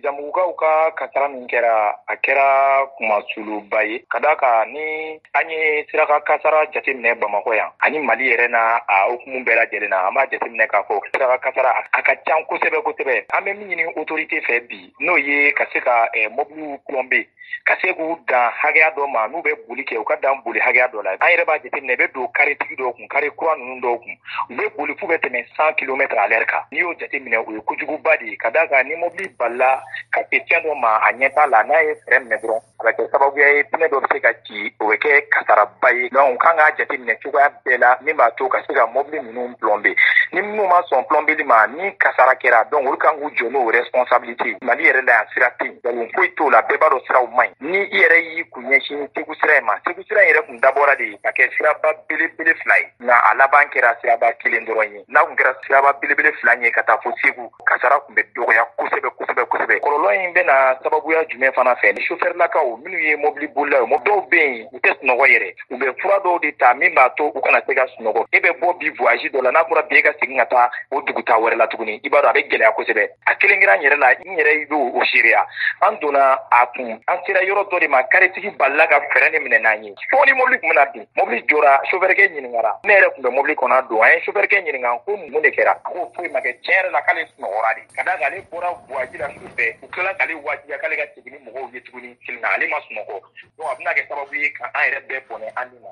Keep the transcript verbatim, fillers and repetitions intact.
Zanbugukaw ka kasara min kɛra, a kɛra kumasuluba ye, ka d'a kan ni an ye siraka kasara jateminɛ Bamakɔ yan ani Mali yɛrɛ na, a hukumu bɛɛ lajɛlen na, an b'a jateminɛ k'a fɔ siraka kasara a ka ca kosɛbɛ kosɛbɛ. An bɛ min ɲini autorité fɛ bi, n'o ye ka se ka mobiliw plomber, ka se k'u dan hakɛya dɔ ma, n'u bɛ boli kɛ, u ka dan boli hakɛya dɔ la. An yɛrɛ b'a jateminɛ, i bɛ don karetigi dɔw kun, kare kura ninnu dɔw kun, u bɛ boli f'u bɛ tɛmɛ cent kilomètres à l'heure kan. N'i y'o jateminɛ, o ye kojuguba de ye, ka d'a kan ni mobili balila ka se fɛn dɔ ma, a ɲɛ t'a la, n'a ye frein minɛ dɔrɔn, a bɛ kɛ sababuya ye pneu dɔ bɛ se ka ci, o bɛ kɛ kasaraba ye. Donc u kan k'a jateminɛ cogoya bɛɛ la min b'a to ka se ka mobili ninnu plomber. Ni minnu ma sɔn plombeli ma, ni kasara kɛra, donc olu kan k'u jɔ n'o responsabilité. Mali yɛrɛ la yan, sira tɛ yen, nkalon foyi t'o la, bɛɛ b'a dɔn siraw man ɲi. Ni i yɛrɛ y'i kun ɲɛsin Segu sira in ma, Segu sira in yɛrɛ kun dabɔra de ka kɛ siraba belebele fila ye, nka a laban kɛra siraba kelen dɔrɔn ye. N'a kun kɛra siraba belebele fila ye ka taa fo Segu, kasara kun bɛ dɔgɔya kosɛbɛ kosɛbɛ kosɛbɛ. Kɔlɔlɔ in bɛna sababuya jumɛn fana fɛ? Ni sofɛrilakaw minnu ye mobili bolilaw ye, dɔw bɛ yen, u tɛ sunɔgɔ yɛrɛ, u bɛ fura dɔw de ta min b'a to u kana se ka sunɔgɔ. E bɛ bɔ bi voyage dɔ la, n'a fɔra bi e ka segin ka taa o duguta wɛrɛ la tuguni, i b'a dɔn a bɛ gɛlɛya kosɛbɛ. A kelen kɛra n yɛrɛ la, n yɛrɛ b'o seereya. An donna a kun, an sera yɔrɔ dɔ de ma, karetigi balila ka frein de minɛ n'an ye fo ni mobili tun bɛna bin. Mobili jɔra, sofɛrikɛ ɲininkara. Ne yɛrɛ tun bɛ mobili kɔnɔ don, an ye sofɛrikɛ ɲininka ko mun de kɛra. A ko foyi ma kɛ, tiɲɛ yɛrɛ la k'ale sunɔgɔra de, ka d'a kan ale bɔra voyage la su fɛ, u tilala k'ale wajibiya k'ale ka segin ni mɔgɔw ye tuguni kelen na, ale ma sunɔgɔ. Donc a bɛna kɛ sababu ye ka an yɛrɛ bɛɛ bɔnɛ an ni ma.